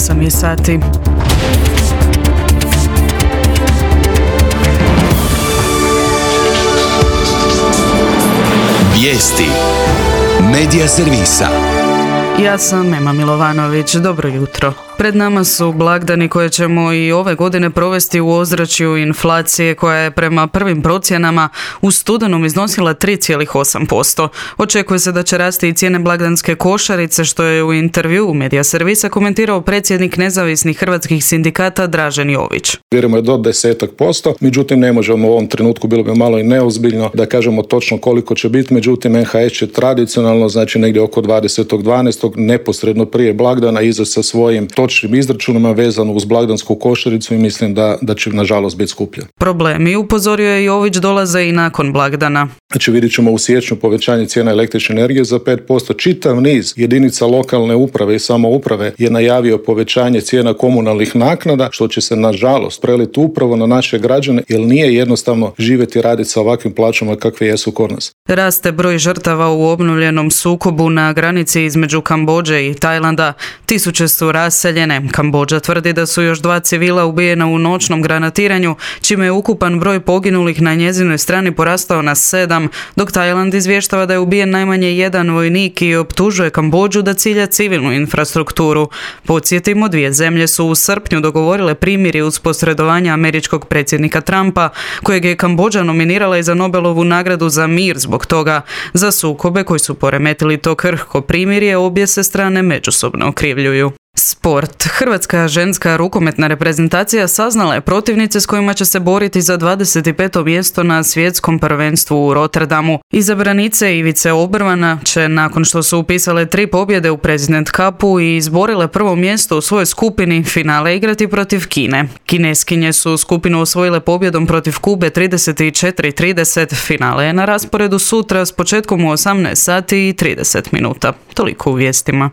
8 je sati. Vijesti Medija servisa. Ja sam Ema Milovanović, dobro jutro. Pred nama su blagdani koje ćemo i ove godine provesti u ozračju inflacije koja je prema prvim procjenama u studenom iznosila 3,8%. Očekuje se da će rasti i cijene blagdanske košarice, što je u intervjuu Medija servisa komentirao predsjednik nezavisnih hrvatskih sindikata Dražen Jović. Vjerujemo je do 10%, međutim ne možemo u ovom trenutku, bilo bi malo i neozbiljno da kažemo točno koliko će biti, međutim NHS će tradicionalno, znači negdje oko 20.12. neposredno prije blagdana izaći sa svojim točnim izračunima vezano uz blagdansku košaricu i mislim da će nažalost biti skuplje. Problemi, upozorio je Jović, dolaze i nakon blagdana. Znači vidjet ćemo u siječnju povećanje cijena električne energije za 5%. Čitav niz jedinica lokalne uprave i samouprave je najavio povećanje cijena komunalnih naknada, što će se nažalost preliti upravo na naše građane, jer nije jednostavno živjeti i raditi sa ovakvim plaćama kakve jesu kod nas. Raste broj žrtava u obnovljenom sukobu na granici između Kambodže i Tajlanda. Tisuće su raseljene. Kambodža tvrdi da su još 2 civila ubijena u noćnom granatiranju, čime je ukupan broj poginulih na njezinoj strani porastao na 7, dok Tajland izvještava da je ubijen najmanje 1 vojnik i optužuje Kambodžu da cilja civilnu infrastrukturu. Podsjetimo, 2 zemlje su u srpnju dogovorile primirje uz posredovanje američkog predsjednika Trumpa, kojeg je Kambodža nominirala i za Nobelovu nagradu za mir zbog toga. Za sukobe koji su poremetili to krhko primirje obje se strane međusobno okrivljuju. Sport. Hrvatska ženska rukometna reprezentacija saznala je protivnice s kojima će se boriti za 25. mjesto na svjetskom prvenstvu u Rotterdamu. Izabranice Ivice Obrvana će, nakon što su upisale 3 pobjede u President Cupu i izborile prvo mjesto u svojoj skupini, finale igrati protiv Kine. Kineskinje su skupinu osvojile pobjedom protiv Kube 34-30. Finale je na rasporedu sutra s početkom u 18 sati i 30 minuta. Toliko u vijestima.